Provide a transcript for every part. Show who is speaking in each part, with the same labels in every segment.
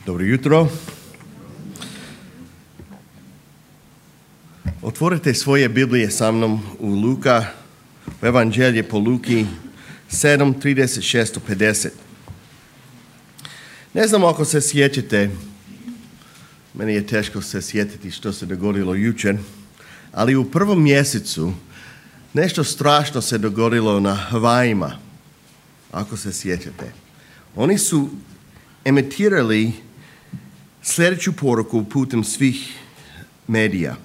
Speaker 1: Dobro jutro. Otvorite svoje Biblije sa mnom u Luka, u Evanđelje po Luki 7:36-50. Ne znam ako se sjećate, meni je teško se sjetiti što se dogodilo jučer, ali u prvom mjesecu nešto strašno se dogodilo na Havajima, ako se sjećate. Oni su emitirali sljedeću poruku putem svih medija.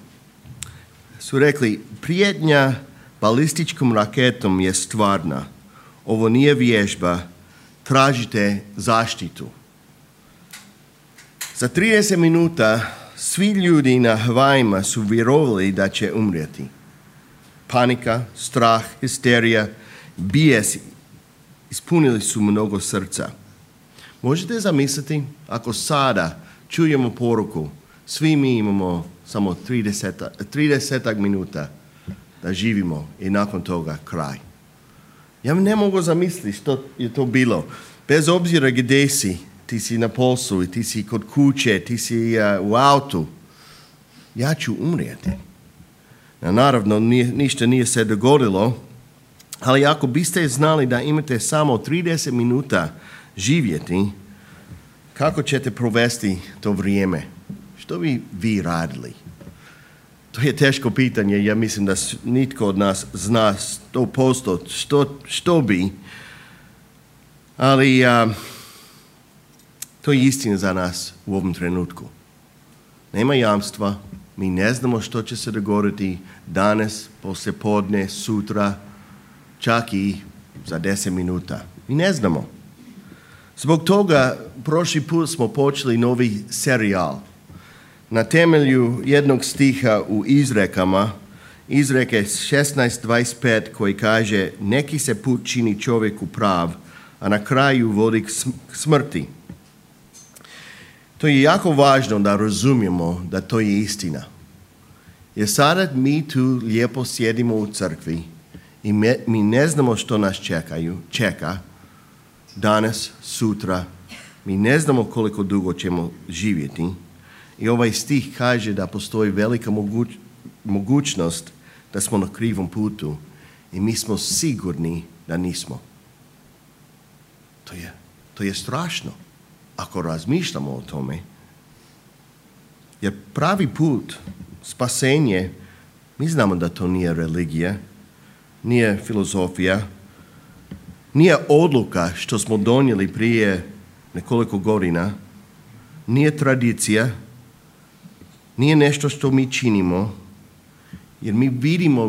Speaker 1: Su rekli, prijetnja balističkom raketom je stvarna. Ovo nije vježba, tražite zaštitu. Za 30 minuta svi ljudi na Havajima su vjerovali da će umrijeti. Panika, strah, histerija, bijes ispunili su mnogo srca. Možete zamisliti ako sada čujemo poruku, svi mi imamo samo 30 minuta da živimo i nakon toga kraj. Ja ne mogu zamisliti što je to bilo. Bez obzira gdje si, ti si na poslu, ti si kod kuće, ti si u autu, ja ću umrijeti. Naravno, ništa nije se dogodilo, ali ako biste znali da imate samo 30 minuta živjeti, kako ćete provesti to vrijeme? Što bi vi radili? To je teško pitanje. Ja mislim da nitko od nas zna 100% što bi. Ali to je istina za nas u ovom trenutku. Nema jamstva. Mi ne znamo što će se dogoditi danas, poslijepodne, sutra, čak i za 10 minuta. Mi ne znamo. Zbog toga prošli put smo počeli novi serijal. Na temelju jednog stiha u Izrekama, Izreke 16:25 koji kaže neki se put čini čovjeku prav, a na kraju vodi k smrti. To je jako važno da razumijemo da to je istina. Jer sada mi tu lijepo sjedimo u crkvi i mi ne znamo što nas čeka danas, sutra. Mi ne znamo koliko dugo ćemo živjeti. I ovaj stih kaže da postoji velika mogućnost da smo na krivom putu i mi smo sigurni da nismo. To je strašno ako razmišljamo o tome. Jer pravi put, spasenje, mi znamo da to nije religija, nije filozofija, nije odluka što smo donijeli prije nekoliko godina, nije tradicija, nije nešto što mi činimo, jer mi vidimo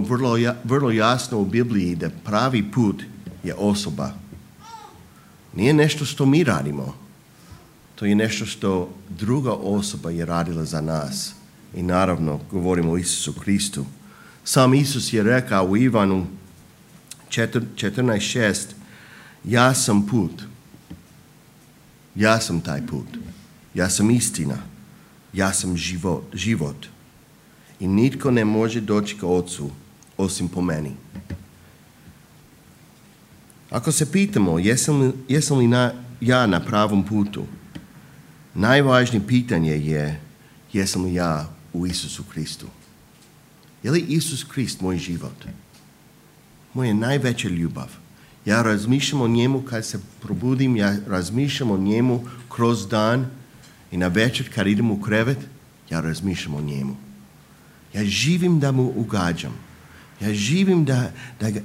Speaker 1: vrlo jasno u Bibliji da pravi put je osoba. Nije nešto što mi radimo, to je nešto što druga osoba je radila za nas. I naravno govorimo o Isusu Kristu. Sam Isus je rekao u Ivanu 14:6, ja sam put, ja sam taj put, ja sam istina, ja sam život. I nitko ne može doći ka Otcu osim po meni. Ako se pitamo jesam li ja na pravom putu, najvažnije pitanje je jesam li ja u Isusu Kristu. Je li Isus Krist moj život? Moja najveća ljubav. Ja razmišljam o njemu kad se probudim, ja razmišljam o njemu kroz dan i na večer kad idem u krevet, ja razmišljam o njemu. Ja živim da mu ugađam. Ja živim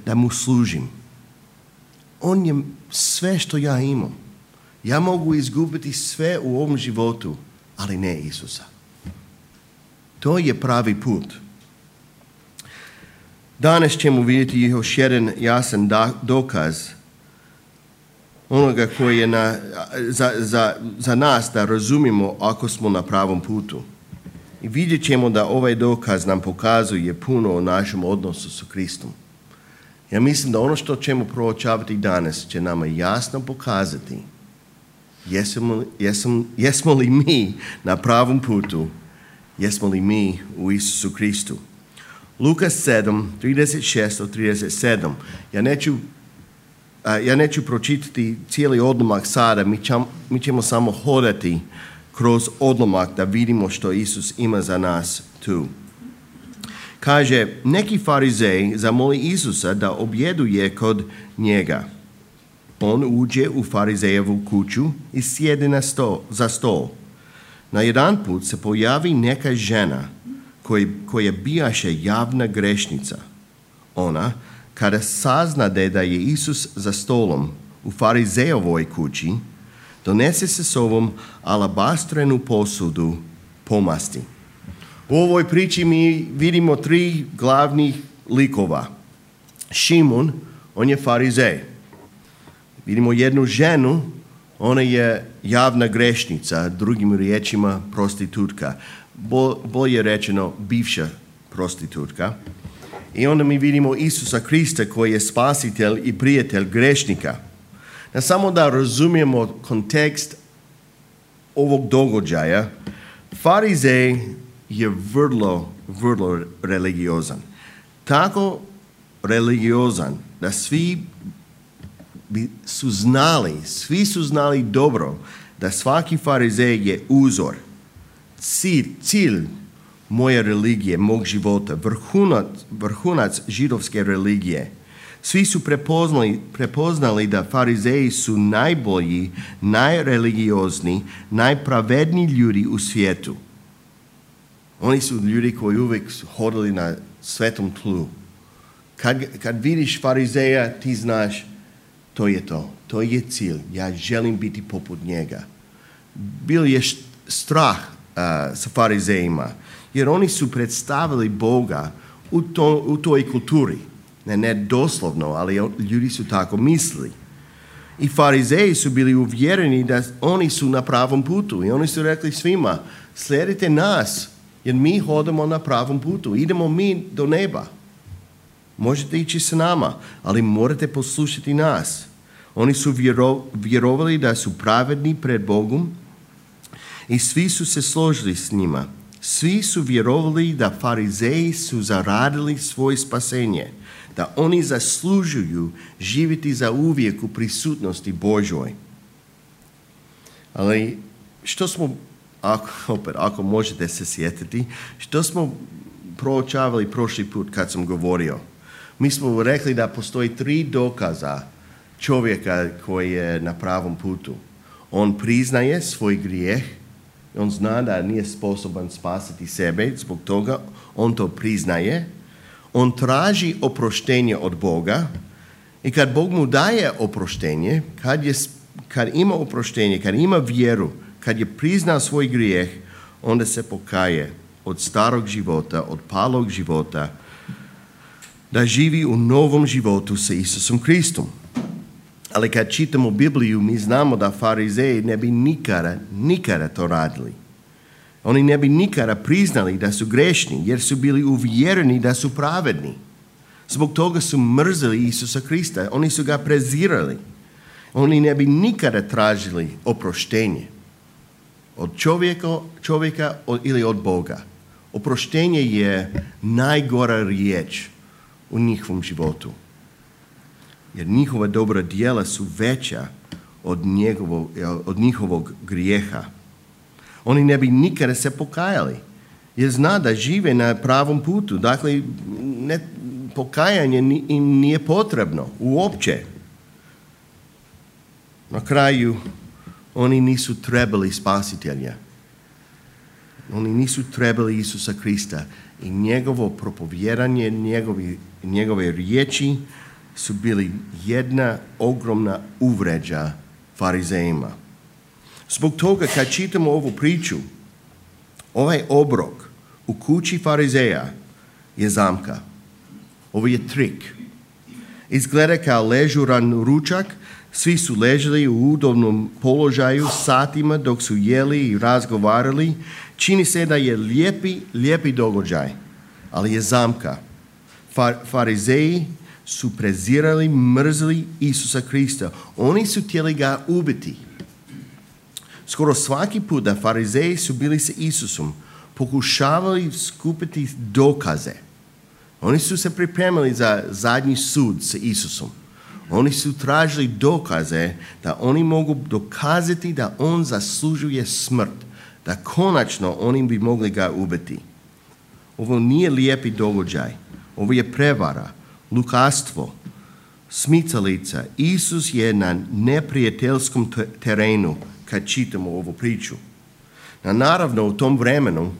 Speaker 1: da mu služim. On je sve što ja imam. Ja mogu izgubiti sve u ovom životu, ali ne Isusa. To je pravi put. Danas ćemo vidjeti još jedan jasan dokaz onoga koji je za nas da razumijemo ako smo na pravom putu. I vidjet ćemo da ovaj dokaz nam pokazuje puno o našem odnosu sa Kristom. Ja mislim da ono što ćemo proučavati danas će nama jasno pokazati jesmo li mi na pravom putu, jesmo li mi u Isusu Kristu. Luka 7:36-37. Ja neću pročitati cijeli odlomak sada, mi ćemo samo hodati kroz odlomak da vidimo što Isus ima za nas tu. Kaže, neki farizej zamoli Isusa da objeduje kod njega. On uđe u farizejevu kuću i sjede za stol. Na jedan put se pojavi neka žena koja bijaše javna grešnica. Ona, kada sazna da je Isus za stolom u farizejovoj kući, donese se sobom alabastrenu posudu pomasti. U ovoj priči mi vidimo 3 glavnih likova. Šimun, on je farizej. Vidimo jednu ženu, ona je javna grešnica, drugim riječima prostitutka. Bolje rečeno, bivša prostitutka. I onda mi vidimo Isusa Krista koji je spasitelj i prijatelj grešnika. Samo da razumijemo kontekst ovog događaja, farizej je vrlo religiozan. Tako religiozan da svi su znali dobro da svaki farizej je uzor, cilj moje religije, mog života, vrhunac židovske religije. Svi su prepoznali da farizeji su najbolji, najreligiozni, najpravedniji ljudi u svijetu. Oni su ljudi koji uvijek su hodili na svetom tlu. Kad vidiš farizeja, ti znaš, to je to. To je cilj. Ja želim biti poput njega. Bil je strah sa farizejima, jer oni su predstavili Boga u toj kulturi. Ne doslovno, ali ljudi su tako mislili. I farizeji su bili uvjereni da oni su na pravom putu. I oni su rekli svima, slijedite nas, jer mi hodamo na pravom putu. Idemo mi do neba. Možete ići s nama, ali morate poslušati nas. Oni su vjerovali da su pravedni pred Bogom i svi su se složili s njima. Svi su vjerovali da farizeji su zaradili svoje spasenje, da oni zaslužuju živjeti za uvijek u prisutnosti Božoj. Ali što smo, ako možete se sjetiti, što smo proučavali prošli put kad sam govorio? Mi smo rekli da postoji 3 dokaza čovjeka koji je na pravom putu. On priznaje svoj grijeh, on zna da nije sposoban spasiti sebe, zbog toga on to priznaje. On traži oproštenje od Boga i kad Bog mu daje oproštenje, kad ima oproštenje, kad ima vjeru, kad je priznao svoj grijeh, onda se pokaje od starog života, od palog života, da živi u novom životu sa Isusom Kristom. Ali kad čitamo Bibliju, mi znamo da farizeji ne bi nikada to radili. Oni ne bi nikada priznali da su grešni, jer su bili uvjereni da su pravedni. Zbog toga su mrzili Isusa Krista. Oni su ga prezirali. Oni ne bi nikada tražili oproštenje od čovjeka ili od Boga. Oproštenje je najgora riječ u njihovom životu. Jer njihova dobra djela su veća od njihovog grijeha. Oni ne bi nikada se pokajali, jer zna da žive na pravom putu. Dakle, pokajanje im nije potrebno uopće. Na kraju, oni nisu trebali spasitelja. Oni nisu trebali Isusa Krista. I njegovo propovjedanje, njegove riječi su bili jedna ogromna uvređa farizejima. Zbog toga kad čitamo ovu priču, ovaj obrok u kući farizeja je zamka. Ovo je trik. Izgleda kao ležuran ručak, svi su ležali u udobnom položaju satima dok su jeli i razgovarali. Čini se da je lijepi događaj, ali je zamka. Farizeji su prezirali, mrzili Isusa Krista. Oni su htjeli ga ubiti. Skoro svaki put da farizeji su bili sa Isusom, pokušavali skupiti dokaze. Oni su se pripremili za zadnji sud sa Isusom. Oni su tražili dokaze da oni mogu dokazati da on zaslužuje smrt, da konačno oni bi mogli ga ubiti. Ovo nije lijepi događaj. Ovo je prevara, lukavstvo, smicalica. Isus je na neprijateljskom terenu kad čitamo ovu priču. Naravno, u tom vremenu,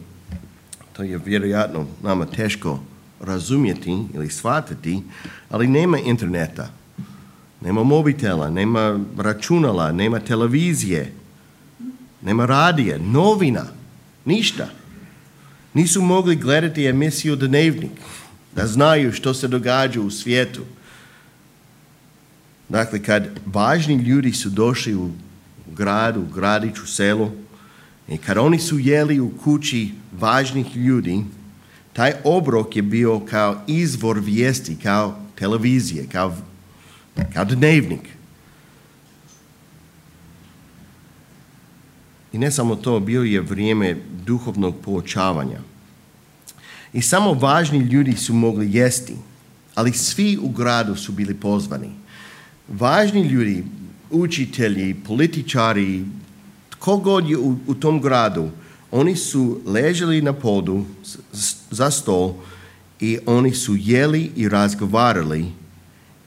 Speaker 1: to je vjerojatno nama teško razumjeti ili shvatiti, ali nema interneta, nema mobitela, nema računala, nema televizije, nema radije, novina, ništa. Nisu mogli gledati emisiju Dnevnik, da znaju što se događa u svijetu. Dakle, kad važni ljudi su došli u gradu, gradiću, selu, i kad oni su jeli u kući važnih ljudi, taj obrok je bio kao izvor vijesti, kao televizije, kao Dnevnik. I ne samo to, bio je vrijeme duhovnog poučavanja. I samo važni ljudi su mogli jesti, ali svi u gradu su bili pozvani. Važni ljudi, učitelji, političari, tko god je u tom gradu, oni su ležali na podu za stol i oni su jeli i razgovarali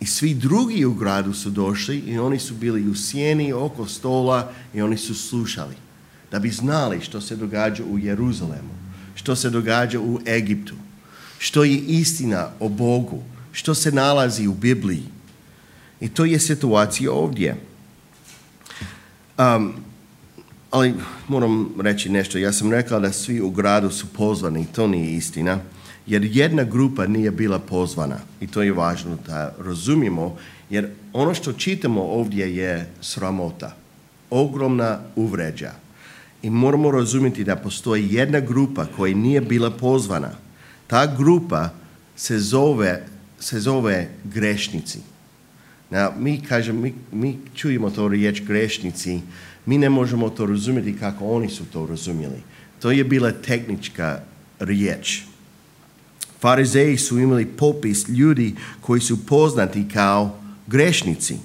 Speaker 1: i svi drugi u gradu su došli i oni su bili u sjeni oko stola i oni su slušali da bi znali što se događa u Jeruzalemu, što se događa u Egiptu, što je istina o Bogu, što se nalazi u Bibliji. I to je situacija ovdje. Ali moram reći nešto. Ja sam rekao da svi u gradu su pozvani. To nije istina. Jer jedna grupa nije bila pozvana. I to je važno da razumijemo. Jer ono što čitamo ovdje je sramota. Ogromna uvređa. I moramo razumjeti da postoji jedna grupa koja nije bila pozvana. Ta grupa se zove grešnici. Mi čujemo to riječ grešnici, mi ne možemo to razumjeti kako oni su to razumjeli. To je bila tehnička riječ. Farizeji su imali popis ljudi koji su poznati kao grešnici.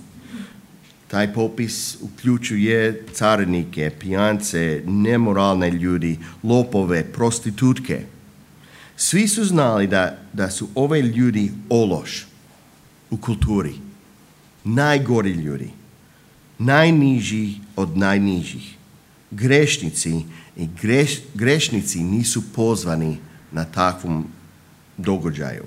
Speaker 1: Taj popis uključuje carinike, pijance, nemoralne ljudi, lopove, prostitutke. Svi su znali da su ove ljudi ološ u kulturi. Najgori ljudi, najniži od najnižih. Grešnici i grešnici nisu pozvani na takvom događaju.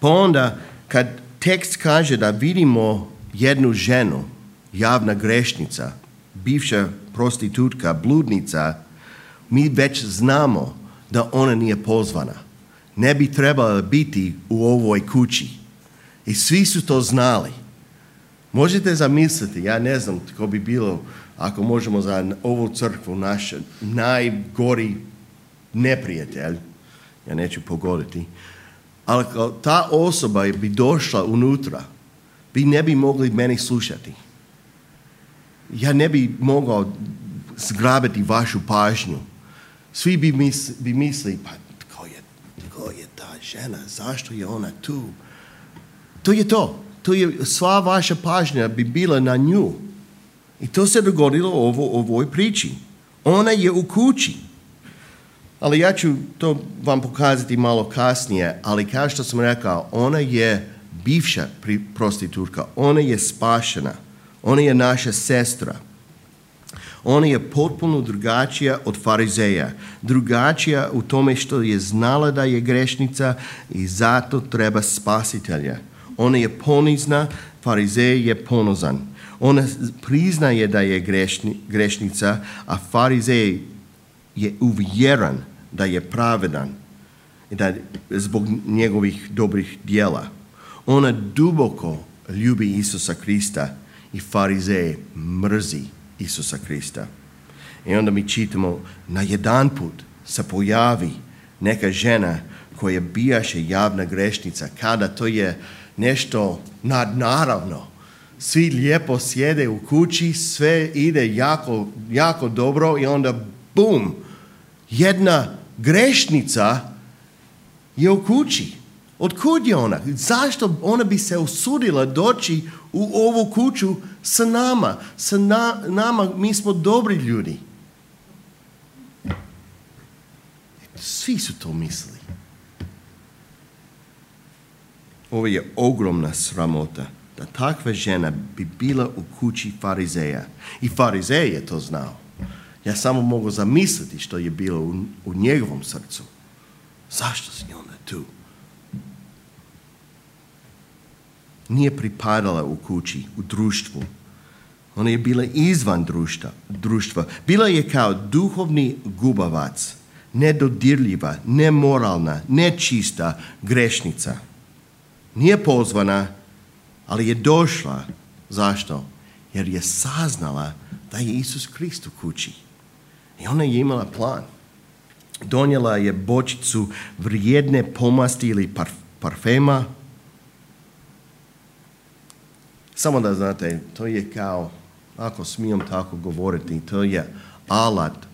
Speaker 1: Pa onda, kad tekst kaže da vidimo jednu ženu, javna grešnica, bivša prostitutka, bludnica, mi već znamo da ona nije pozvana. Ne bi trebala biti u ovoj kući. I svi su to znali. Možete zamisliti, ja ne znam tko bi bilo, ako možemo za ovu crkvu, naš najgori neprijatelj, ja neću pogoditi, ali ta osoba bi došla unutra, vi ne bi mogli meni slušati. Ja ne bi mogao zgrabiti vašu pažnju. Svi bi mislili, pa tko je ta žena, zašto je ona tu? To je to. Sva vaša pažnja bi bila na nju. I to se dogodilo u ovoj priči. Ona je u kući. Ali ja ću to vam pokazati malo kasnije, ali kao što sam rekao, ona je bivša prostitutka. Ona je spašena. Ona je naša sestra. Ona je potpuno drugačija od farizeja. Drugačija u tome što je znala da je grešnica i zato treba spasitelja. Ona je ponizna, farizej je ponosan. Ona priznaje da je grešnica, a farizej je uvjeren da je pravedan i da zbog njegovih dobrih djela. Ona duboko ljubi Isusa Krista i farizej mrzi Isusa Krista. I onda mi čitamo, na jedan put se pojavi neka žena koja bijaše javna grešnica, kada to je nešto nadnaravno. Svi lijepo sjede u kući, sve ide jako, jako dobro i onda bum, jedna grešnica je u kući. Otkud je ona? Zašto ona bi se usudila doći u ovu kuću sa nama? Nama, mi smo dobri ljudi. Svi su to mislili. Ovo je ogromna sramota da takva žena bi bila u kući farizeja. I farizej je to znao. Ja samo mogu zamisliti što je bilo u njegovom srcu. Zašto si onda tu? Nije pripadala u kući, u društvu. Ona je bila izvan društva. Bila je kao duhovni gubavac, nedodirljiva, nemoralna, nečista grešnica. Nije pozvana, ali je došla. Zašto? Jer je saznala da je Isus Krist u kući. I ona je imala plan. Donijela je bočicu vrijedne pomasti ili parfema. Samo da znate, to je kao, ako smijem tako govoriti, to je alat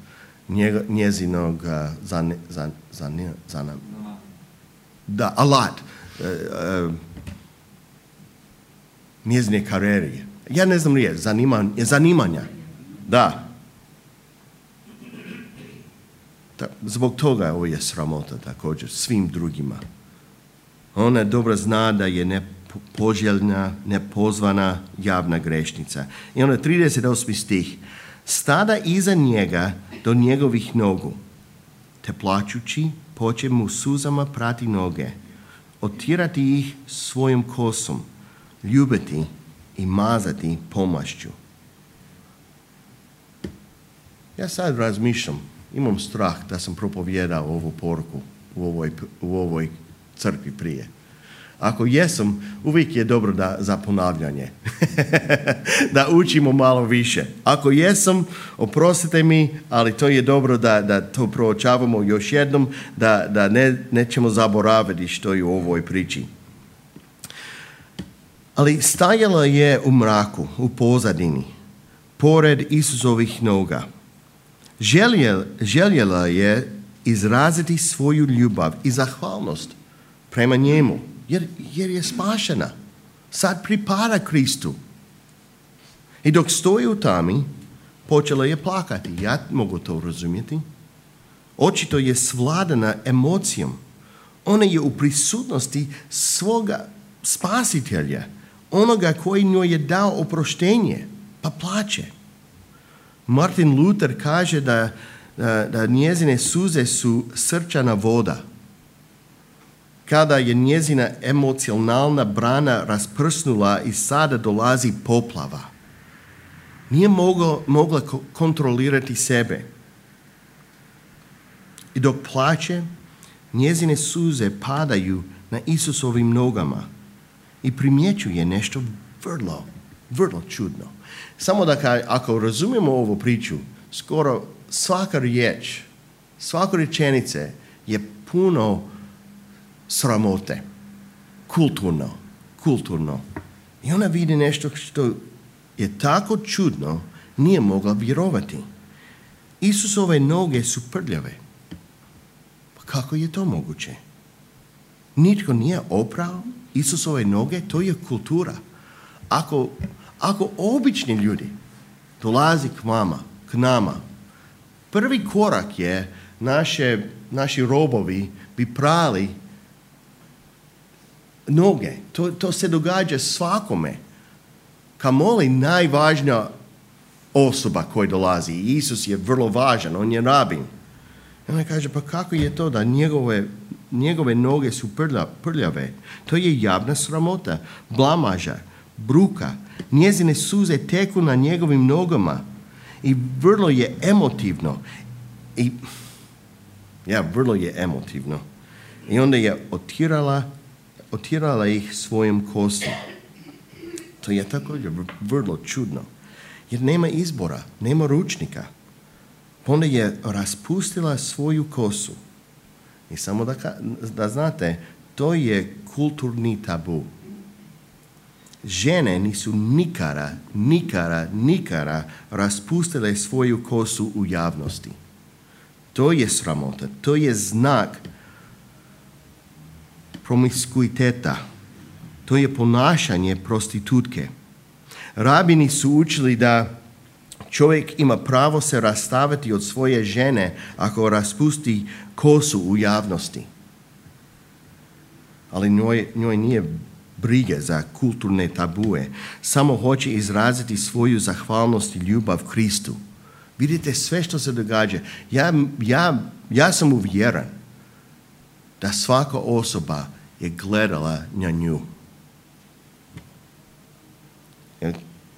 Speaker 1: njezinog alat njezine karijere. Ja ne znam riječ, zanimanja. Da. Zbog toga ovo je sramota također svim drugima. Ona dobro zna da je nepoželjna, nepozvana javna grešnica. I onda 38. stih. Stada iza njega do njegovih nogu, te plačući poče mu suzama prati noge, otirati ih svojom kosom, ljubiti i mazati pomašću. Ja sad razmišljam, imam strah da sam propovijedao ovu poruku u ovoj crkvi prije. Ako jesam, uvijek je dobro za ponavljanje. Da učimo malo više. Ako jesam, oprostite mi, ali to je dobro da to proučavamo još jednom, da nećemo zaboraviti što je u ovoj priči. Ali stajala je u mraku, u pozadini, pored Isusovih noga. Željela je izraziti svoju ljubav i zahvalnost prema njemu, jer je spašena. Sad pripada Kristu. I dok stoji u tami, počela je plakati. Ja mogu to razumjeti. Očito je svladana emocijom. Ona je u prisutnosti svoga spasitelja, onoga koji njoj je dao oproštenje, pa plače. Martin Luther kaže da njezine suze su srčana voda. Kada je njezina emocionalna brana rasprsnula i sada dolazi poplava. Nije mogla kontrolirati sebe. I dok plače, njezine suze padaju na Isusovim nogama i primjećuje nešto vrlo čudno. Samo da ako razumijemo ovu priču, skoro svaka riječ, svaka rečenice je puno sramote. Kulturno. I ona vidi nešto što je tako čudno, nije mogla vjerovati. Isusove noge su prljave. Pa kako je to moguće? Nitko nije oprao Isusove noge, to je kultura. Ako obični ljudi dolazi k nama, prvi korak je naši robovi bi prali noge. To se događa svakome. Kamoli najvažnija osoba koja dolazi. Isus je vrlo važan, on je rabin. I ona kaže, pa kako je to da njegove noge su prljave? To je javna sramota, blamaža, bruka. Njezine suze teku na njegovim nogama i vrlo je emotivno. Vrlo je emotivno. I onda je otirala ih svojom kosom. To je također vrlo čudno. Jer nema izbora, nema ručnika. Onda je raspustila svoju kosu. I samo da znate, to je kulturni tabu. Žene nisu nikada raspustile svoju kosu u javnosti. To je sramota, to je znak promiskuiteta. To je ponašanje prostitutke. Rabini su učili da Čovjek ima pravo se rastaviti od svoje žene ako raspusti kosu u javnosti. Ali njoj nije brige za kulturne tabue. Samo hoće izraziti svoju zahvalnost i ljubav Kristu. Vidite sve što se događa. Ja sam uvjeren da svaka osoba je gledala na nju.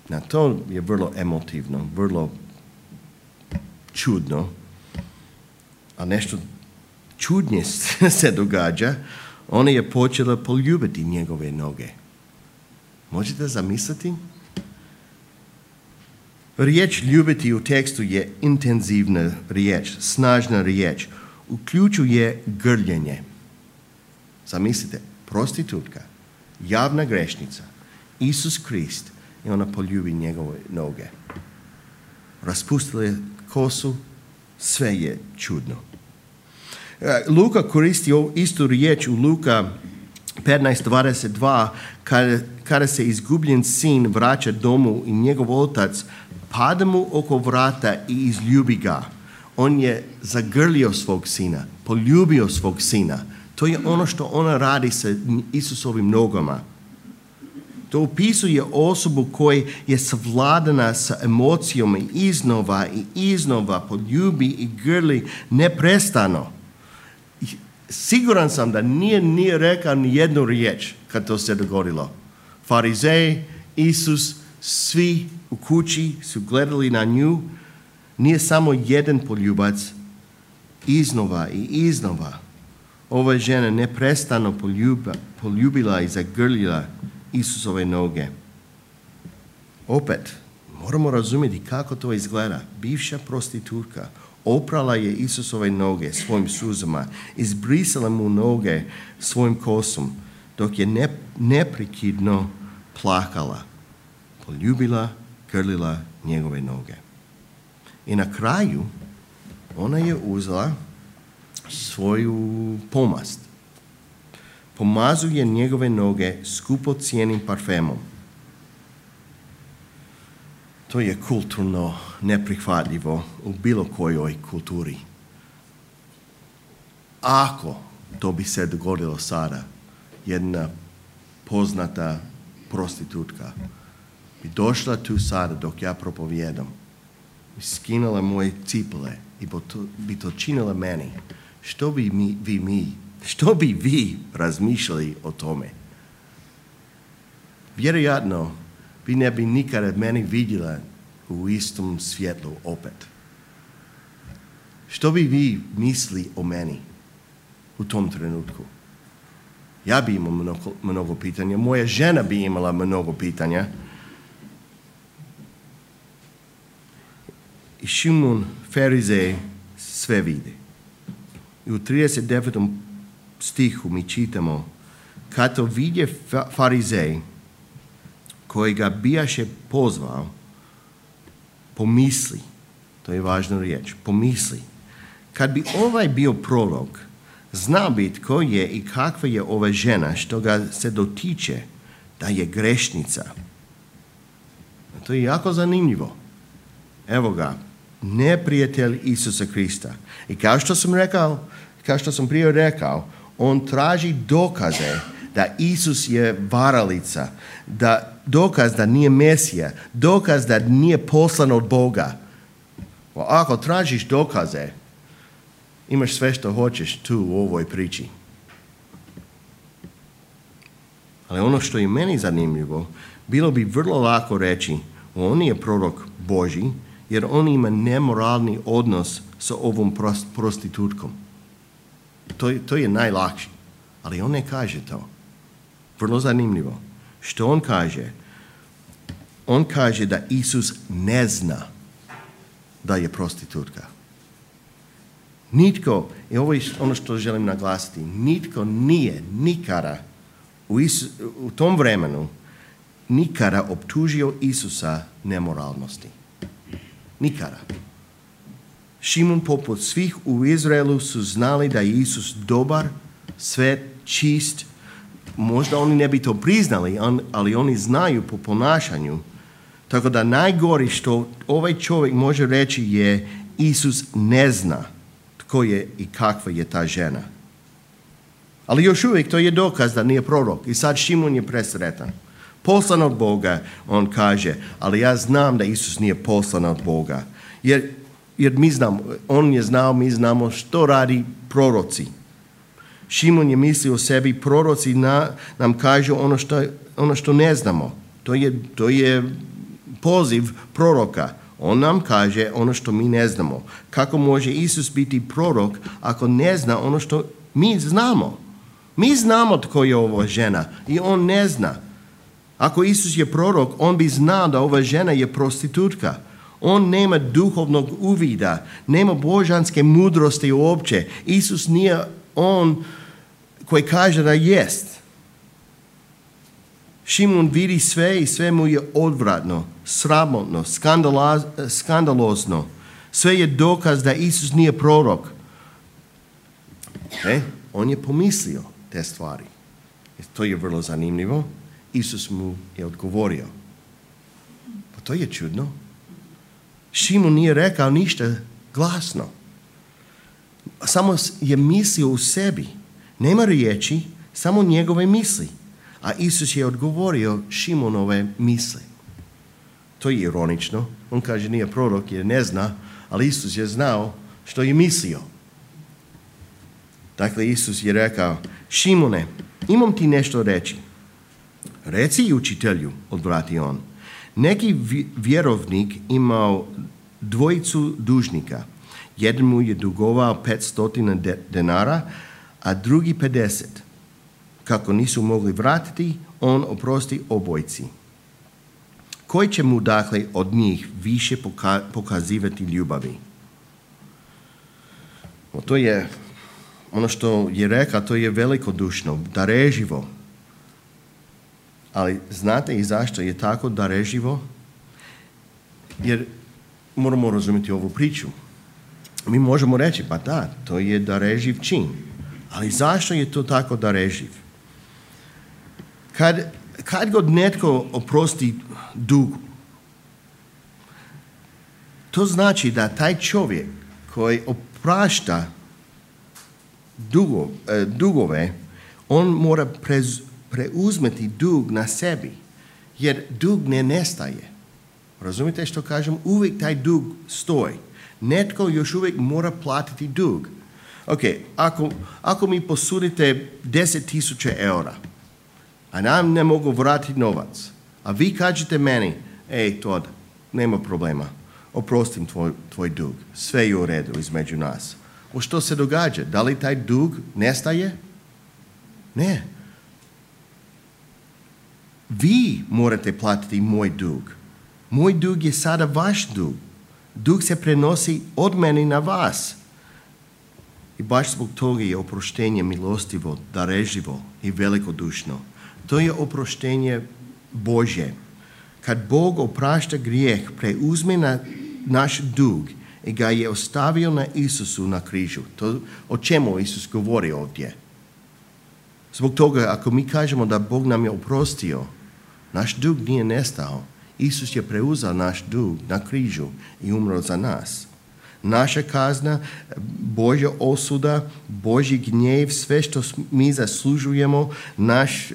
Speaker 1: Na to je vrlo emotivno, vrlo čudno. A nešto čudnije se događa. Ona je počela poljubiti njegove noge. Možete zamisliti? Riječ ljubiti u tekstu je intenzivna riječ, snažna riječ. Uključuje grljenje. Zamislite, prostitutka, javna grešnica, Isus Krist, i ona poljubi njegove noge. Raspustila je kosu, sve je čudno. Luka koristi istu riječ u Luka 15:22 kada se izgubljen sin vraća domu i njegov otac pada mu oko vrata i izljubi ga. On je zagrlio svog sina, poljubio svog sina. To je ono što ona radi sa Isusovim nogama. To opisuje osobu koja je savladana sa emocijama i iznova poljubi i grli neprestano. Siguran sam da nije rekao ni jednu riječ kad to se dogodilo. Farizeji, Isus, svi u kući su gledali na nju. Nije samo jedan poljubac, iznova i iznova. Ova žena neprestano poljubila i zagrlila Isusove noge. Opet, moramo razumjeti kako to izgleda. Bivša prostitutka oprala je Isusove noge svojim suzama, izbrisala mu noge svojim kosom, dok je neprekidno plakala, poljubila, grlila njegove noge. I na kraju ona je uzela svoju pomast. Pomazuje njegove noge skupocijenim parfemom. To je kulturno neprihvatljivo u bilo kojoj kulturi. Ako to bi se dogodilo sada, jedna poznata prostitutka bi došla tu sada dok ja propovijedam i skinula moje cipele i bi to činila meni, što bi vi razmišljali o tome? Vjerojatno vi ne bi nikada meni vidjela u istom svjetlu opet. Što bi vi mislili o meni u tom trenutku? Ja bi imao mnogo pitanja, moja žena bi imala mnogo pitanja. I Šimun, Farizej, sve vidi. I u 39. stihu mi čitamo, kad to vidje Farizej, koji ga bijaše pozvao, pomisli, to je važna riječ, pomisli, kad bi ovaj bio prorok, znao bi tko je i kakva je ova žena što ga se dotiče da je grešnica. To je jako zanimljivo. Evo ga, neprijatelj Isusa Krista. I kao što sam prije rekao, on traži dokaze da Isus je varalica, dokaz da nije Mesija, dokaz da nije poslan od Boga. Ako tražiš dokaze, imaš sve što hoćeš tu u ovoj priči. Ali ono što je meni zanimljivo, bilo bi vrlo lako reći, on je prorok Božji, jer on ima nemoralni odnos sa ovom prostitutkom. To je najlakše. Ali on ne kaže to. Vrlo zanimljivo. Što on kaže? On kaže da Isus ne zna da je prostitutka. Nitko, i ovo je ono što želim naglasiti, nitko nije nikada u tom vremenu nikada optužio Isusa nemoralnosti. Nikada. Šimun poput svih u Izraelu su znali da je Isus dobar, svet, čist. Možda oni ne bi to priznali, ali oni znaju po ponašanju Tako da najgori što ovaj čovjek može reći je Isus ne zna tko je i kakva je ta žena. Ali još uvijek to je dokaz da nije prorok. I sad Šimon je presretan. Poslan od Boga, on kaže, ali ja znam da Isus nije poslan od Boga. Jer mi znamo, on je znao, mi znamo što radi proroci. Šimon je mislio o sebi, proroci nam kažu ono što ne znamo. To je poziv proroka. On nam kaže ono što mi ne znamo. Kako može Isus biti prorok ako ne zna ono što mi znamo? Mi znamo tko je ova žena i on ne zna. Ako Isus je prorok, on bi znao da ova žena je prostitutka. On nema duhovnog uvida, nema božanske mudrosti uopće. Isus nije on koji kaže da jest. Šimon vidi sve i sve mu je odvratno, sramotno, skandalozno. Sve je dokaz da Isus nije prorok. On je pomislio te stvari. To je vrlo zanimljivo. Isus mu je odgovorio. Pa to je čudno. Šimon nije rekao ništa glasno. Samo je mislio u sebi. Nema riječi, samo njegove misli. A Isus je odgovorio Šimonove misli. To je ironično. On kaže nije prorok jer ne zna, ali Isus je znao što je mislio. Dakle, Isus je rekao, Šimone, imam ti nešto reći. Reci učitelju, odvrati on. Neki vjerovnik imao dvojicu dužnika. Jedan mu je dugovao 500 denara, a drugi 50. Kako nisu mogli vratiti, on oprosti obojici. Koji će mu dakle od njih više pokazivati ljubavi? To je ono što je rekao, to je velikodušno, dareživo. Ali znate i zašto je tako dareživo? Jer moramo razumjeti ovu priču. Mi možemo reći, pa da, to je dareživ čin. Ali zašto je to tako dareživ? Kad god netko oprosti dug, to znači da taj čovjek koji oprašta dugove, on mora preuzmeti dug na sebi, jer dug ne nestaje. Razumite što kažem? Uvijek taj dug stoji. Netko još uvijek mora platiti dug. Ok, ako mi posudite 10.000 eura, a nam ne mogu vratiti novac, a vi kažete meni, Todd, nema problema, oprostim tvoj dug, sve je u redu između nas. Što se događa? Da li taj dug nestaje? Ne. Vi morate platiti moj dug. Moj dug je sada vaš dug. Dug se prenosi od mene na vas. I baš zbog toga je oproštenje milostivo, dareživo i velikodušno. To je oproštenje Božje. Kad Bog oprašta grijeh, preuzme naš dug i ga je ostavio na Isusu na križu. To o čemu Isus govori ovdje. Zbog toga, ako mi kažemo da Bog nam je oprostio, naš dug nije nestao. Isus je preuzeo naš dug na križu i umro za nas. Naša kazna, Božja osuda, Božji gnjev, sve što mi zaslužujemo, naš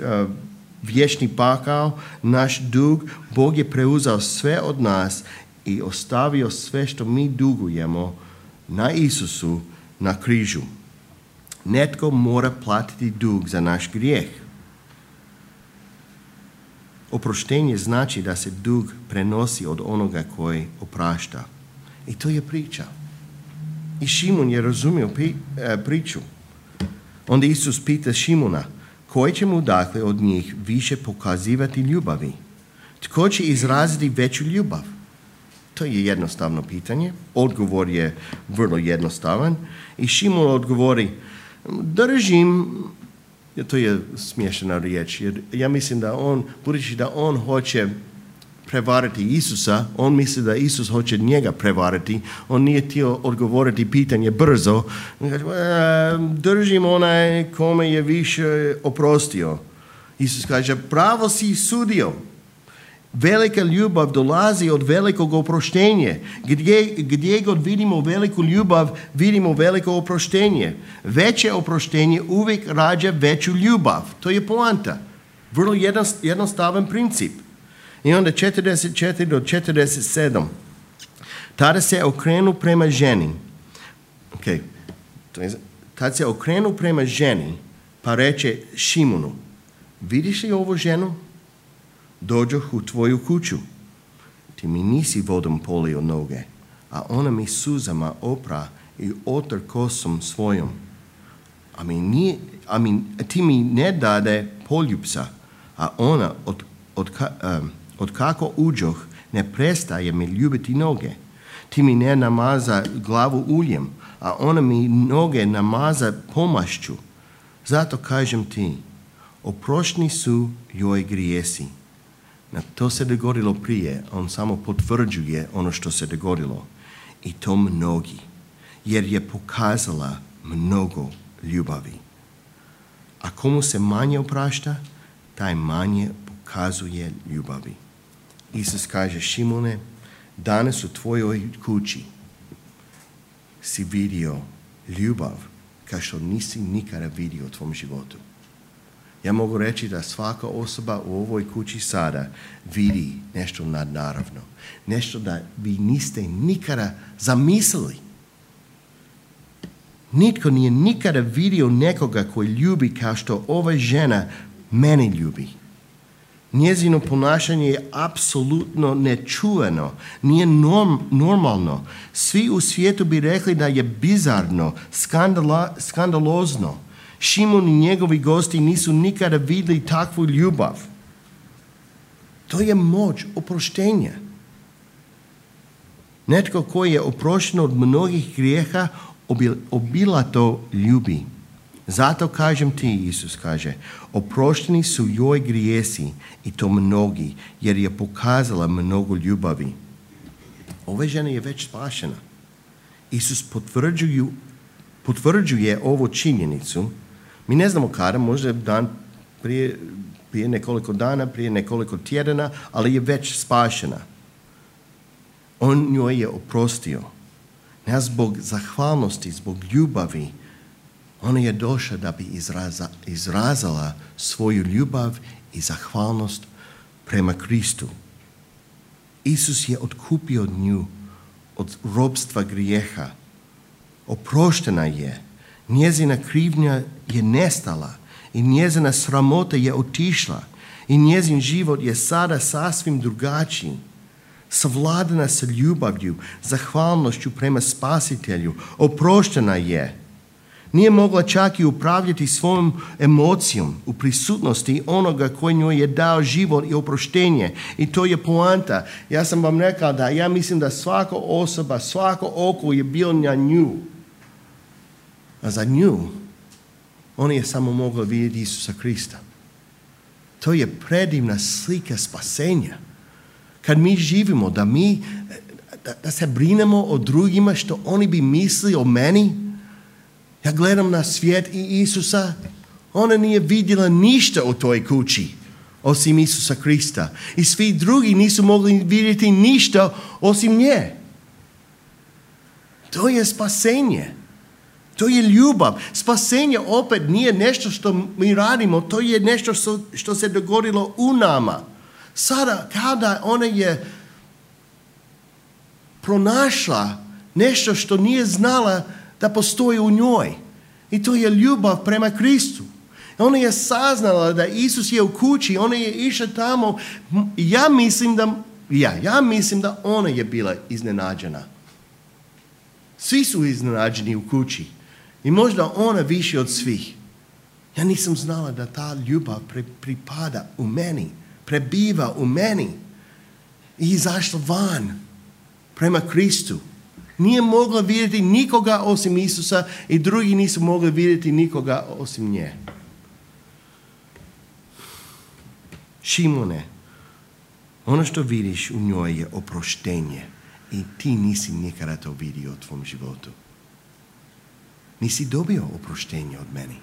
Speaker 1: vječni pakao, naš dug, Bog je preuzeo sve od nas i ostavio sve što mi dugujemo na Isusu na križu. Netko mora platiti dug za naš grijeh. Oproštenje znači da se dug prenosi od onoga koji oprašta. I to je priča. I Šimon je razumio priču. Onda Isus pita Šimona, koji će mu dakle od njih više pokazivati ljubavi? Tko će izraziti veću ljubav? To je jednostavno pitanje. Odgovor je vrlo jednostavan. I Šimon odgovori, držim, to je smiješna riječ, jer ja mislim da budući da on hoće prevariti Isusa, on misli da Isus hoće njega prevariti, on nije htio odgovoriti pitanje brzo, držim onaj kome je više oprostio. Isus kaže, pravo si sudio. Velika ljubav dolazi od velikog oproštenja. Gdje god vidimo veliku ljubav, vidimo veliko oproštenje. Veće oproštenje uvijek rađa veću ljubav. To je poanta. Vrlo jednostavan princip. I onda 44 do 47. Tada se okrenu prema ženi. Tad se okrenu prema ženi, pa reče Šimonu, vidiš li ovu ženu? Dođoh u tvoju kuću. Ti mi nisi vodom polio noge, a ona mi suzama opra i otar kosom svojom. Ti mi ne dade poljupca, a ona od kako uđoh ne prestaje mi ljubiti noge. Ti mi ne namaza glavu uljem, a ona mi noge namaza pomašću. Zato kažem ti, oprošteni su joj grijesi. To se dogodilo prije, on samo potvrđuje ono što se dogodilo. I to mnogi, jer je pokazala mnogo ljubavi. A komu se manje oprašta, taj manje pokazuje ljubavi. Isus kaže, Šimone, danas u tvojoj kući si vidio ljubav kao što nisi nikada vidio u tvom životu. Ja mogu reći da svaka osoba u ovoj kući sada vidi nešto nadnaravno. Nešto da vi niste nikada zamislili. Nitko nije nikada vidio nekoga koji ljubi kao što ova žena mene ljubi. Njezino ponašanje je apsolutno nečuveno, nije normalno. Svi u svijetu bi rekli da je bizarno, skandalozno. Šimon i njegovi gosti nisu nikada vidjeli takvu ljubav. To je moć oproštenja. Netko koji je oprošten od mnogih grijeha obilato ljubi. Zato kažem ti, Isus kaže, oprošteni su joj grijesi i to mnogi, jer je pokazala mnogo ljubavi. Ova žena je već spašena. Isus potvrđuje ovu činjenicu. Mi ne znamo kada, možda dan prije nekoliko dana, prije nekoliko tjedana, ali je već spašena. On njoj je oprostio. Ne zbog zahvalnosti, zbog ljubavi. Ona je došla da bi izrazala svoju ljubav i zahvalnost prema Kristu. Isus je otkupio nju od robstva grijeha. Oproštena je. Njezina krivnja je nestala i njezina sramota je otišla i njezin život je sada sasvim drugačiji. Savladana sa ljubavlju, zahvalnošću prema Spasitelju. Oproštena je. Nije mogla čak i upravljati svojom emocijom u prisutnosti onoga koji njoj je dao život i oproštenje. I to je poanta. Ja sam vam rekao da ja mislim da svaka osoba, svako oko je bilo na nju. A za nju, ona je samo mogla vidjeti Isusa Krista. To je predivna slika spasenja. Kad mi živimo, da se brinemo o drugima što oni bi mislili o meni. Ja gledam na svijet i Isusa, ona nije vidjela ništa u toj kući, osim Isusa Krista. I svi drugi nisu mogli vidjeti ništa osim nje. To je spasenje. To je ljubav. Spasenje opet nije nešto što mi radimo, to je nešto što se dogodilo u nama. Sada, kada ona je pronašla nešto što nije znala da postoji u njoj. I to je ljubav prema Kristu. Ona je saznala da Isus je u kući, ona je išla tamo. Ja mislim da ona je bila iznenađena. Svi su iznenađeni u kući. I možda ona više od svih. Ja nisam znala da ta ljubav pripada u meni, prebiva u meni. I izašla van prema Kristu. Nije mogla vidjeti nikoga osim Isusa i drugi nisu mogli vidjeti nikoga osim nje. Šimone, ono što vidiš u njoj je oproštenje i ti nisi nikada to vidio u tvom životu. Nisi dobio oproštenje od meni.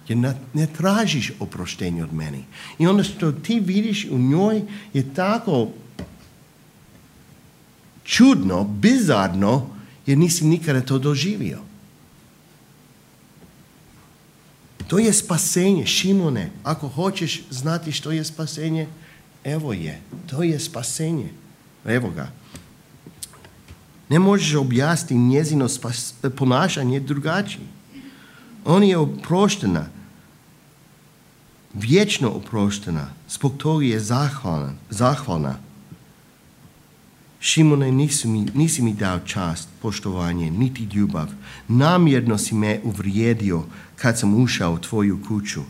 Speaker 1: Jer ne tražiš oproštenje od meni. I ono što ti vidiš u njoj je tako čudno, bizarno, jer nisi nikada to doživio. To je spasenje, Šimone. Ako hoćeš znati što je spasenje, evo je. To je spasenje. Evo ga. Ne možeš objasniti njezino ponašanje drugačije. On je oproštena. Vječno oproštena. Zbog toga je zahvalna. Šimone, nisi mi dao čast, poštovanje, niti ljubav. Namjerno si me uvrijedio kad sam ušao u tvoju kuću.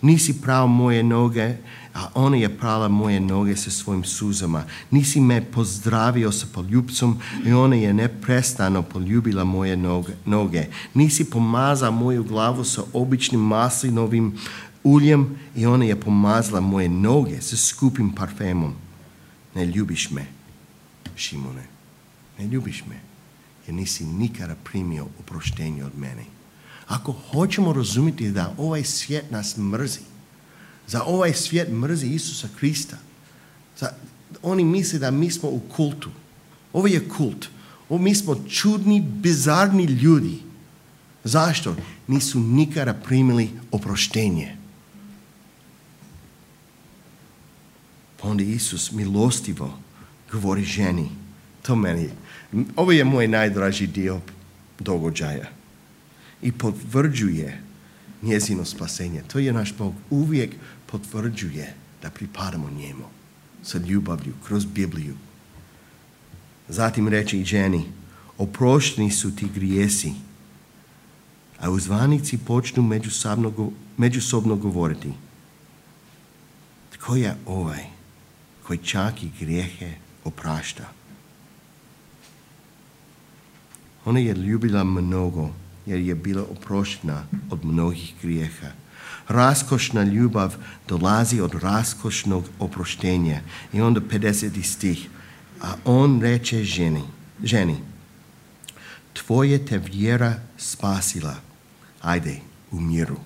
Speaker 1: Nisi prao moje noge, a ona je prala moje noge sa svojim suzama. Nisi me pozdravio sa poljubcom i ona je neprestano poljubila moje noge. Nisi pomazao moju glavu sa običnim maslinovim uljem i ona je pomazala moje noge sa skupim parfemom. Ne ljubiš me, Šimone, ne ljubiš me, jer nisi nikada primio oproštenje od mene. Ako hoćemo razumjeti da ovaj svijet nas mrzi, za ovaj svijet mrzi Isusa Krista, oni misle da mi smo u kultu. Ovo je kult. Mi smo čudni, bizarni ljudi. Zašto? Nisu nikada primili oproštenje. Pa onda Isus milostivo govori ženi, ovo je moj najdraži dio događaja. I potvrđuje njezino spasenje. To je naš Bog. Uvijek potvrđuje da pripadamo njemu sa ljubavlju, kroz Bibliju. Zatim reče i ženi, oprošteni su ti grijesi. A uzvanici počnu međusobno govoriti. Tko je ovaj koji čak i grijehe oprašta? Ona je ljubila mnogo, jer je bila oproštena od mnogih grijeha. Raskošna ljubav dolazi od raskošnog oproštenja. I onda 50. stih. A on reče ženi, tvoje te vjera spasila. Ajde, u miru.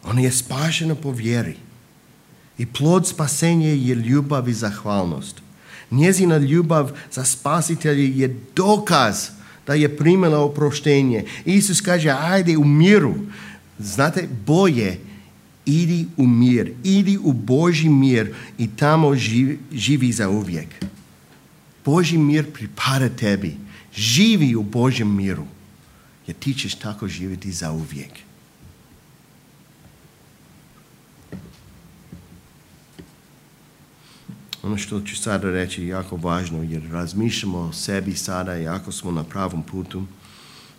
Speaker 1: Ona je spašena po vjeri. I plod spasenja je ljubav i zahvalnost. Njezina ljubav za spasitelja je dokaz da je primila oproštenje. Isus kaže, ajde u miru. Znate, bolje, idi u mir, idi u Božji mir i tamo živi za uvijek. Božji mir pripada tebi. Živi u Božjem miru, jer ti ćeš tako živjeti za uvijek. Ono što ću sada reći je jako važno, jer razmišljamo o sebi sada i ako smo na pravom putu.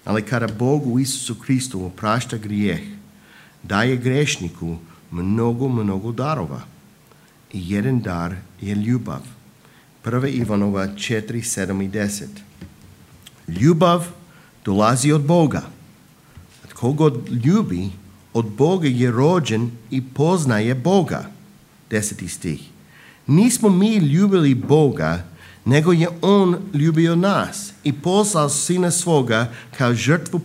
Speaker 1: Ali kada Bog u Isusu Kristu oprašta grijeh, daje grešniku mnogo darova. I jedan dar je ljubav. 1. Ivanova 4, 7 i 10. Ljubav dolazi od Boga. Tko god ljubi, od Boga je rođen i poznaje Boga. 10. stih. Nismo mi ljubili Boga, nego je On ljubio nas i poslao Sina svoga kao žrtvu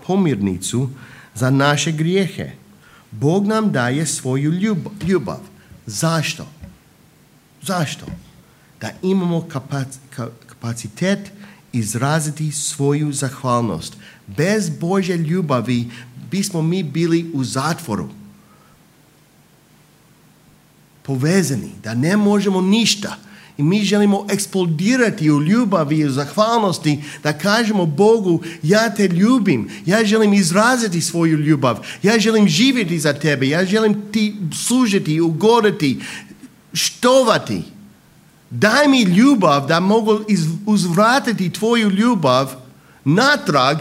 Speaker 1: pomirnicu za naše grijehe. Bog nam daje svoju ljubav. Zašto? Zašto? Da imamo kapacitet izraziti svoju zahvalnost. Bez Božje ljubavi bismo mi bili u zatvoru. Povezani, da ne možemo ništa. I mi želimo eksplodirati u ljubavi i u zahvalnosti, da kažemo Bogu, ja te ljubim, ja želim izraziti svoju ljubav, ja želim živjeti za tebe, ja želim ti služiti, ugoditi, štovati. Daj mi ljubav da mogu uzvratiti tvoju ljubav natrag,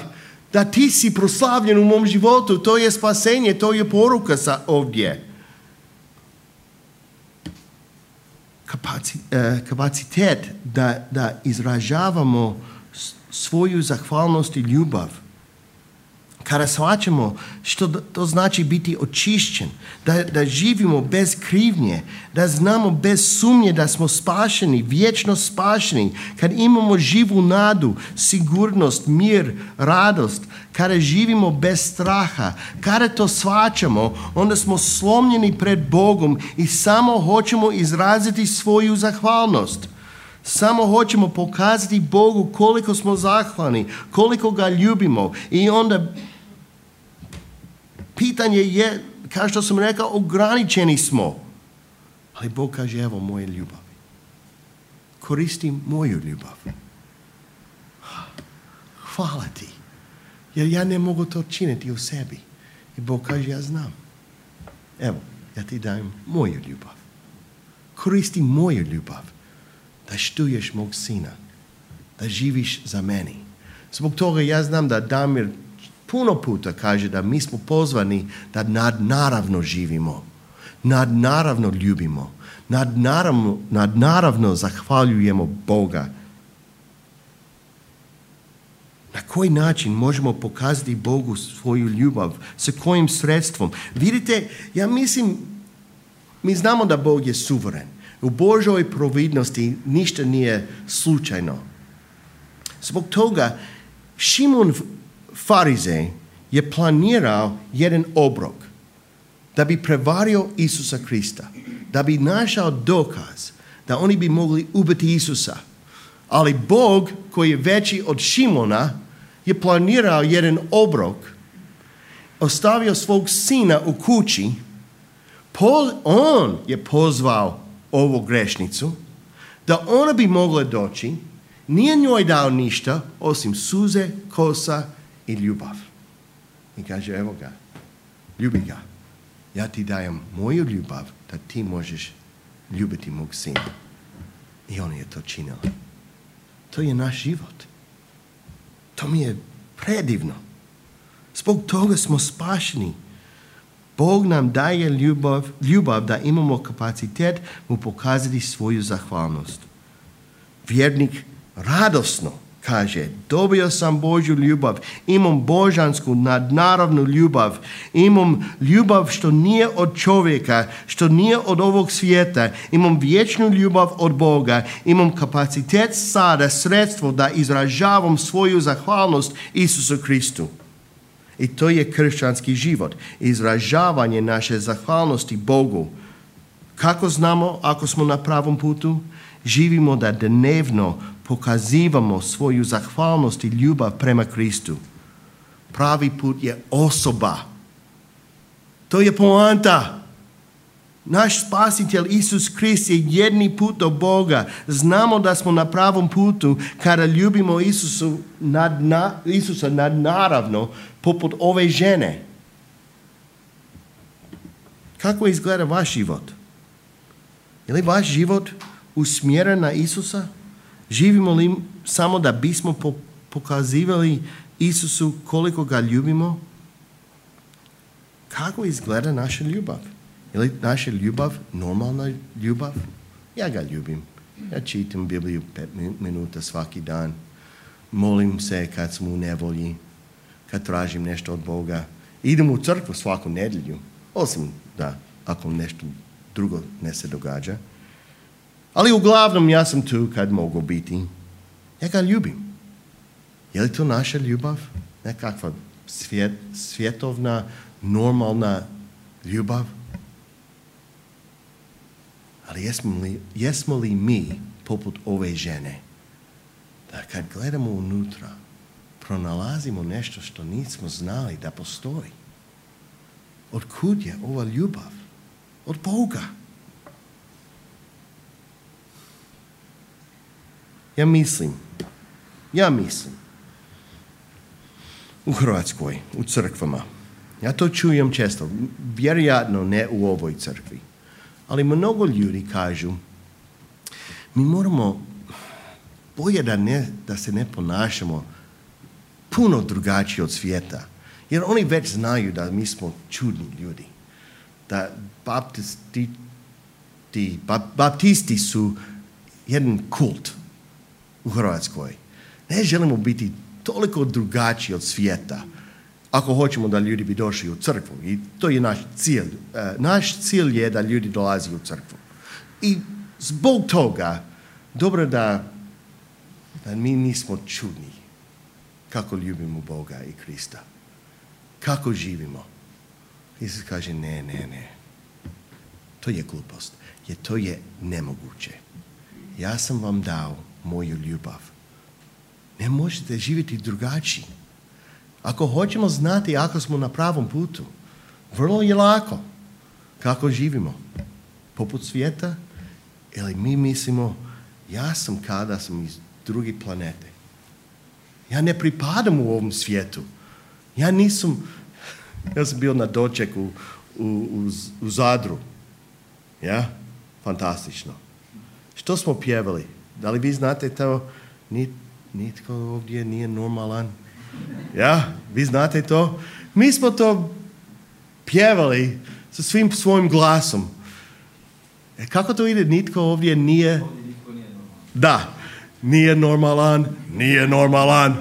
Speaker 1: da ti si proslavljen u mom životu. To je spasenje, to je poruka ovdje. Kapacitet da izražavamo svoju zahvalnost i ljubav. Kada shvaćamo što to znači biti očišćen, da živimo bez krivnje, da znamo bez sumnje da smo spašeni, vječno spašeni, kad imamo živu nadu, sigurnost, mir, radost, kada živimo bez straha, kada to shvaćamo, onda smo slomljeni pred Bogom i samo hoćemo izraziti svoju zahvalnost. Samo hoćemo pokazati Bogu koliko smo zahvalni, koliko ga ljubimo. I onda pitanje je, kao što sam rekao, ograničeni smo. Ali Bog kaže, evo moje ljubavi. Koristi moju ljubav. Hvala ti. Jer ja ne mogu to činiti u sebi. I Bog kaže, ja znam. Evo, ja ti dajem moju ljubav. Koristi moju ljubav. Da štuješ mog sina. Da živiš za meni. Zbog toga ja znam da Damir puno puta kaže da mi smo pozvani da nadnaravno živimo. Nadnaravno ljubimo. Nadnaravno zahvaljujemo Boga. Na koji način možemo pokazati Bogu svoju ljubav? Sa kojim sredstvom? Vidite, ja mislim, mi znamo da Bog je suveren. U Božoj providnosti ništa nije slučajno. Zbog toga Šimon Farizej je planirao jedan obrok da bi prevario Isusa Krista, da bi našao dokaz da oni bi mogli ubiti Isusa. Ali Bog, koji je veći od Šimona, je planirao jedan obrok, ostavio svog sina u kući, on je pozvao ovu grešnicu, da ona bi mogla doći, nije njoj dao ništa, osim suze, kosa i ljubav. I kaže, evo ga, ljubi ga. Ja ti dajem moju ljubav da ti možeš ljubiti mog sina. I on je to činila. To je naš život. To mi je predivno. Zbog toga smo spašeni. Bog nam daje ljubav da imamo kapacitet mu pokazati svoju zahvalnost. Vjernik radosno kaže, dobio sam Božju ljubav, imam božansku nadnaravnu ljubav, imam ljubav što nije od čovjeka, što nije od ovog svijeta, imam vječnu ljubav od Boga, imam kapacitet sada, sredstvo da izražavam svoju zahvalnost Isusu Kristu. I to je kršćanski život, izražavanje naše zahvalnosti Bogu. Kako znamo ako smo na pravom putu? Živimo da dnevno pokazivamo svoju zahvalnost i ljubav prema Kristu. Pravi put je osoba. To je poanta. Naš spasitelj Isus Krist je jedni put do Boga. Znamo da smo na pravom putu kada ljubimo Isusa nadnaravno poput ove žene. Kako izgleda vaš život? Je li vaš život usmjeren na Isusa? Živimo li samo da bismo pokazivali Isusu koliko ga ljubimo? Kako izgleda naša ljubav? Je li naša ljubav normalna ljubav? Ja ga ljubim. Ja čitam Bibliju 5 minuta svaki dan. Molim se kad sam u nevolji, kad tražim nešto od Boga. Idem u crkvu svaku nedjelju, osim da ako nešto drugo ne se događa. Ali uglavnom ja sam tu kad mogu biti. Ja ga ljubim. Je li to naša ljubav? Nekakva svjetovna, normalna ljubav? Ali jesmo li mi poput ove žene? Da kad gledamo unutra, pronalazimo nešto što nismo znali da postoji. Otkud je ova ljubav? Od Boga. Ja mislim, u Hrvatskoj, u crkvama, ja to čujem često, vjerojatno ne u ovoj crkvi, ali mnogo ljudi kažu, mi moramo bolje da se ne ponašamo puno drugačije od svijeta, jer oni već znaju da mi smo čudni ljudi, da baptisti su jedan kult u Hrvatskoj. Ne želimo biti toliko drugačiji od svijeta ako hoćemo da ljudi bi došli u crkvu. I to je naš cilj. Naš cilj je da ljudi dolazi u crkvu. I zbog toga dobro da mi nismo čudni kako ljubimo Boga i Krista. Kako živimo. Isus kaže ne. To je glupost. Jer to je nemoguće. ja sam vam dao moju ljubav. Ne možete živjeti drugačiji. Ako hoćemo znati ako smo na pravom putu, vrlo je lako kako živimo. Poput svijeta, ili mi mislimo, ja sam kada sam iz druge planete. Ja ne pripadam u ovom svijetu. Ja sam bio na dočeku u Zadru. Ja? Fantastično. Što smo pjevali? Da li vi znate to? Nitko ovdje nije normalan. Ja? Vi znate to? Mi smo to pjevali sa svim svojim glasom. Kako to ide? Nitko ovdje nije... Da. Nije normalan.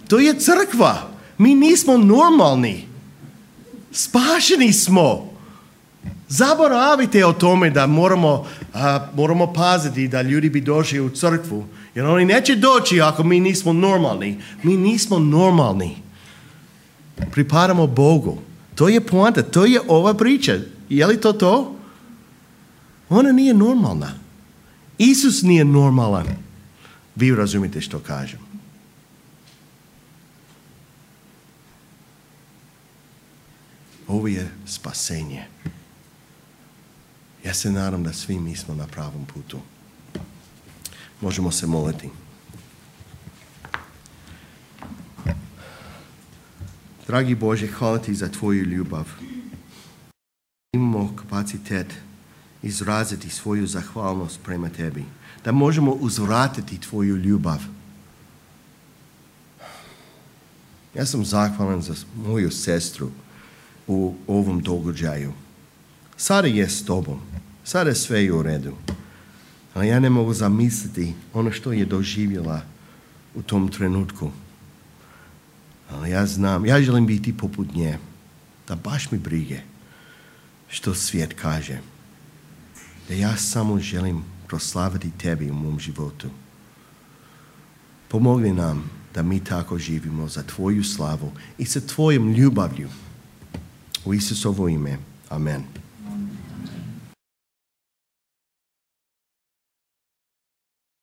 Speaker 1: To je crkva. Mi nismo normalni. Spašeni smo. Zaboravite o tome da moramo paziti da ljudi bi došli u crkvu. Jer oni neće doći ako mi nismo normalni. Mi nismo normalni. Pripadamo Bogu. To je poanta. To je ova priča. Je li to? Ona nije normalna. Isus nije normalan. Vi razumite što kažem. Ovo je spasenje. Ja se nadam da svi mi smo na pravom putu. Možemo se moliti. Dragi Bože, hvala ti za tvoju ljubav. Imamo kapacitet izraziti svoju zahvalnost prema tebi. Da možemo uzvratiti tvoju ljubav. Ja sam zahvalan za moju sestru u ovom događaju. Sada je s tobom. Sada sve je u redu. Ali ja ne mogu zamisliti ono što je doživjela u tom trenutku. Ali ja znam, ja želim biti poput nje. Da baš mi brige što svijet kaže. Da ja samo želim proslaviti tebi u mom životu. Pomogni nam da mi tako živimo za tvoju slavu i sa tvojom ljubavlju. U Isusovo ime. Amen.